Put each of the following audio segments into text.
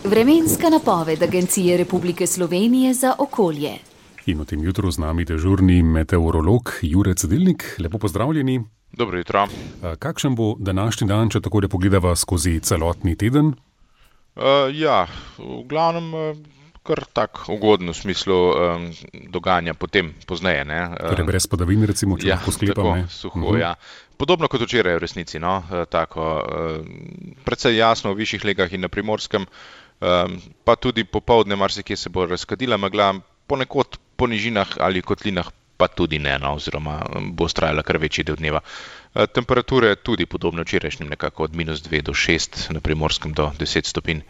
Vremenska napoved Agencije Republike Slovenije za okolje. In v tem jutru z nami dežurni meteorolog Jure Cedilnik. Lepo pozdravljeni. Dobro jutro. Kakšen bo današnji dan, če tako pogledava skozi celotni teden? V glavnem kar tak ugoden v smislu dogajanja potem pozneje. Torej brez padavin, recimo, če lahko sklepam. Tako, suho, ja. Podobno kot včeraj v resnici, no. Tako, precej jasno v višjih legah in na Primorskem, pa tudi popoldne marsikje se bo razkadila megla, ponekod po nižinah ali kotlinah pa tudi ne, no, oziroma bo vztrajala kar večji del dneva. Temperature tudi podobno včerajšnjim, nekako od -2 do 6, na Primorskem do 10 stopinj.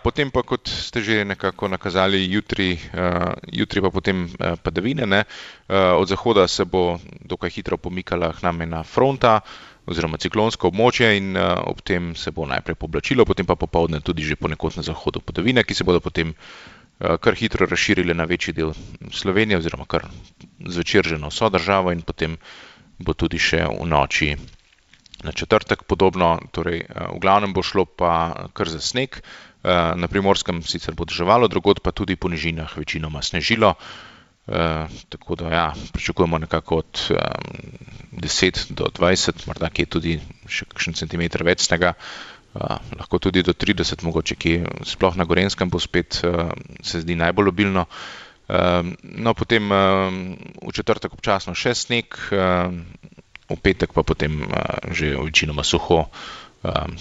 Potem pa, kot ste že nekako nakazali, jutri pa potem padavine, ne. Od zahoda se bo dokaj hitro pomikala k nam ena fronta oziroma ciklonsko območje in ob tem se bo najprej pooblačilo, potem pa popoldne tudi že ponekod na zahodu padavine, ki se bodo potem kar hitro razširile na večji del Slovenije oziroma kar zvečer že na vso državo in potem bo tudi še v noči na četrtek podobno. Torej, v glavnem bo šlo pa kar za sneg, na Primorskem sicer bo deževalo, drugod pa tudi po nižinah večinoma snežilo, tako da pričakujemo nekako od 10 do 20, morda kje tudi še kakšen centimeter več snega, lahko tudi do 30 mogoče, ki sploh na Gorenjskem bo spet, se zdi najbolj obilno. No, potem v četrtek občasno še sneg, v petek pa potem že večinoma suho,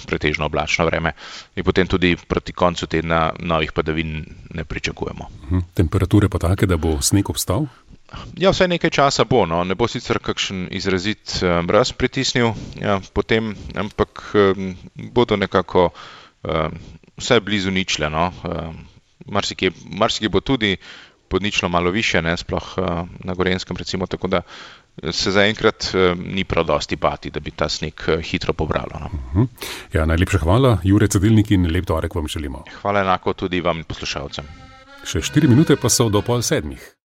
pretežno oblačno vreme in potem tudi proti koncu tedna novih padavin ne pričakujemo. Temperature pa take, da bo sneg obstal? Ja, vsaj nekaj časa bo, no. Ne bo sicer kakšen izrazit mraz pritisnil, potem, ampak bodo nekako vsaj blizu ničle, no. Marsikje bo tudi pod ničlo malo višje, ne, sploh na Gorenjskem recimo, tako da se zaenkrat ni prav dosti bati, da bi ta sneg hitro pobralo, no. Najlepša hvala, Jure Cedilnik, in lep torek vam želimo. Hvala enako tudi vam, poslušalcem. Še 4 minute pa so do 6:30.